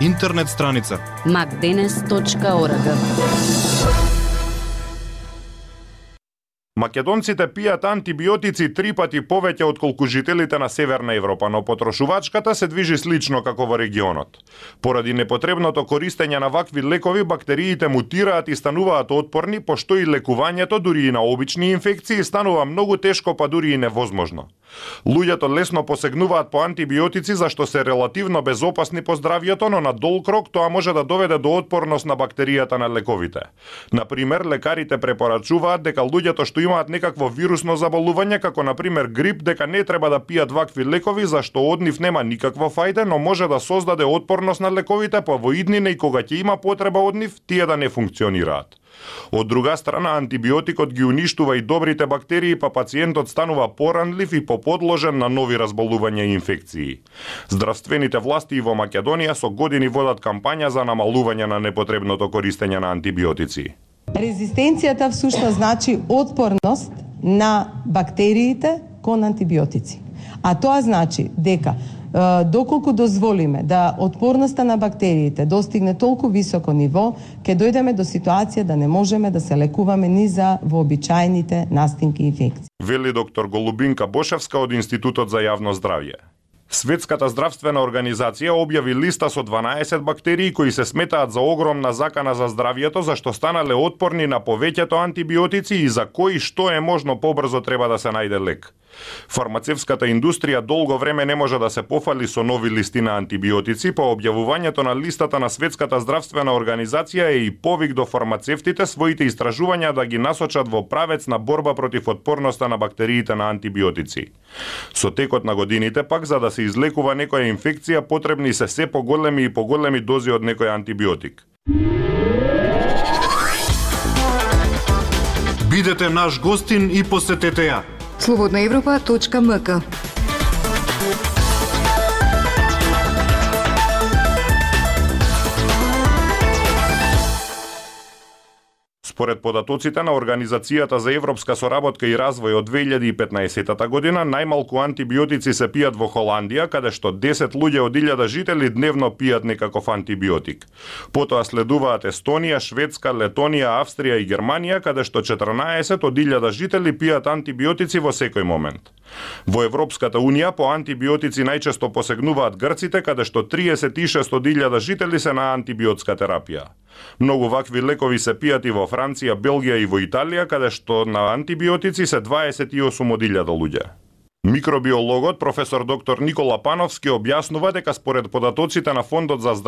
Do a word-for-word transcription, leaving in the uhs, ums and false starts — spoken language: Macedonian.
Интернет страница макденес точка орг. Македонците пијат антибиотици три пати повеќе отколку жителите на Северна Европа, но потрошувачката се движи слично како во регионот. Поради непотребното користење на вакви лекови, бактериите мутираат и стануваат отпорни, пошто и лекувањето дури и на обични инфекции станува многу тешко, па дури и невозможно. Луѓето лесно посегнуваат по антибиотици зашто се релативно безопасни по здравјето, но на долг рок тоа може да доведе до отпорност на бактеријата на лековите. Например, лекарите препорачуваат дека луѓето што имаат некакво вирусно заболување, како например грип, дека не треба да пијат вакви лекови зашто од нив нема никакво фајде, но може да создаде отпорност на лековите, па во иднина и кога ќе има потреба од нив, тие да не функционираат. Од друга страна, антибиотикот ги уништува и добрите бактерии, па пациентот станува поранлив и поподложен на нови разболувања и инфекции. Здравствените власти и во Македонија со години водат кампања за намалување на непотребното користење на антибиотици. Резистенцијата всушност значи отпорност на бактериите кон антибиотици. А тоа значи дека доколку дозволиме да отпорноста на бактериите достигне толку високо ниво, ќе дојдеме до ситуација да не можеме да се лекуваме ни за вообичаените настинки и инфекции. Вели доктор Голубинка Бошевска од Институтот за јавно здравје. Светската здравствена организација објави листа со дванаесет бактерии кои се сметаат за огромна закана за здравјето, зашто станале отпорни на повеќето антибиотици и за кои што е можно побрзо треба да се најде лек. Фармацевската индустрија долго време не може да се пофали со нови листи на антибиотици, по објавувањето на листата на Светската здравствена организација е и повик до фармацевтите своите истражувања да ги насочат во правец на борба против отпорноста на бактериите на антибиотици. Со текот на годините пак, за да се излекува некоја инфекција, потребни се се поголеми и поголеми дози од некој антибиотик. Бидете наш гостин и посетете ја слободна европа точка ем ка. Според податоците на Организацијата за европска соработка и развој од две илјади и петнаесета година, најмалку антибиотици се пијат во Холандија, каде што десет луѓе од илјада жители дневно пијат некаков антибиотик. Потоа следуваат Естонија, Шведска, Летонија, Австрија и Германија, каде што четрнаесет од илјада жители пијат антибиотици во секој момент. Во Европската унија по антибиотици најчесто посегнуваат грците, каде што триесет и шест од илјада жители се на антибиотска терапија. Многу вакви лекови се пијат и во Франција, Белгија и во Италија, каде што на антибиотици се дваесет и осум од илјада луѓе. Микробиологот професор доктор Никола Пановски објаснува дека според податоците на Фондот за здравје